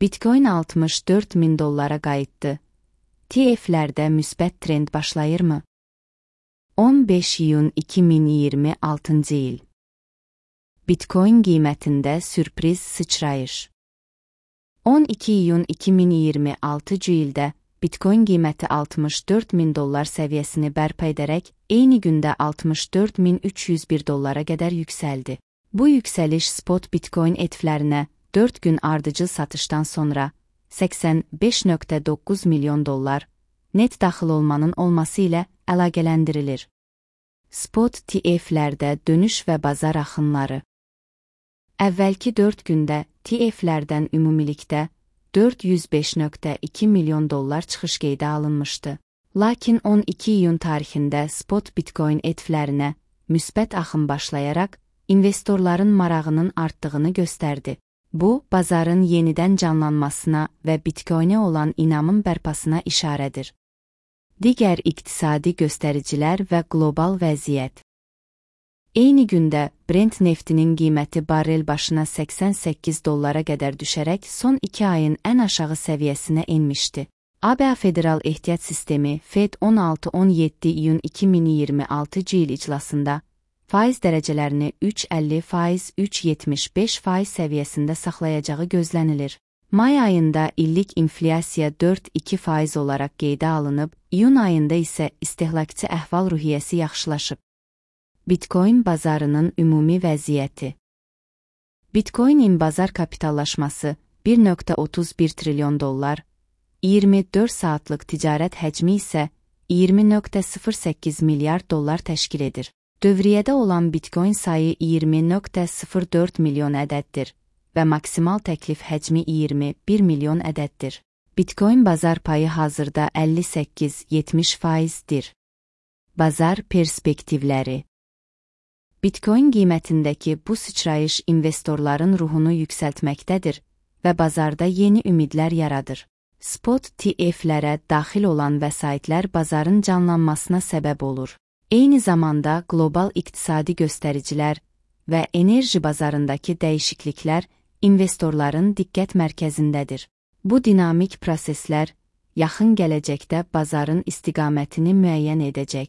Bitcoin 64 min dollara qayıtdı. TF-lərdə müsbət trend başlayırmı? 15 iyun 2026-cı il. Bitcoin qiymətində sürpriz sıçrayış. 12 iyun 2026-cı ildə Bitcoin qiyməti 64 min dollar səviyyəsini bərpa edərək, eyni gündə 64 min 301 dollara qədər yüksəldi. Bu yüksəliş spot Bitcoin ETF-lərinə 4 gün ardıcıl satışdan sonra 85,9 milyon dollar net daxil olmanın olması ilə əlaqələndirilir. Spot ETF-lərdə dönüş və bazar axınları. Əvvəlki 4 gündə ETF-lərdən ümumilikdə 405,2 milyon dollar çıxış qeydə alınmışdı. Lakin 12 iyun tarixində spot Bitcoin ETF-lərinə müsbət axın başlayaraq investorların marağının artdığını göstərdi. Bu, bazarın yenidən canlanmasına və Bitcoinə olan inamın bərpasına işarədir. Digər iqtisadi göstəricilər və qlobal vəziyyət. Eyni gündə Brent neftinin qiyməti barrel başına 88 dollara qədər düşərək son 2 ayın ən aşağı səviyyəsinə enmişdi. ABA Federal Ehtiyat Sistemi Fed 16-17 iyun 2026-cı il iclasında faiz dərəcələrini 3,50%, 3,75% səviyyəsində saxlayacağı gözlənilir. May ayında illik inflyasiya 4,2% olaraq qeydə alınıb, iyun ayında isə istehlakçı əhval-ruhiyyəsi yaxşılaşıb. Bitcoin bazarının ümumi vəziyyəti. Bitcoinin bazar kapitallaşması 1,31 trilyon dollar, 24 saatlıq ticarət həcmi isə 20,08 milyard dollar təşkil edir. Dövriyyədə olan Bitcoin sayı 20,04 milyon ədəddir və maksimal təklif həcmi 21 milyon ədəddir. Bitcoin bazar payı hazırda 58-70%dir. Bazar perspektivləri. Bitcoin qiymətindəki bu sıçrayış investorların ruhunu yüksəltməkdədir və bazarda yeni ümidlər yaradır. Spot ETF-lərə daxil olan vəsaitlər bazarın canlanmasına səbəb olur. Eyni zamanda qlobal iqtisadi göstəricilər və enerji bazarındakı dəyişikliklər investorların diqqət mərkəzindədir. Bu dinamik proseslər yaxın gələcəkdə bazarın istiqamətini müəyyən edəcək.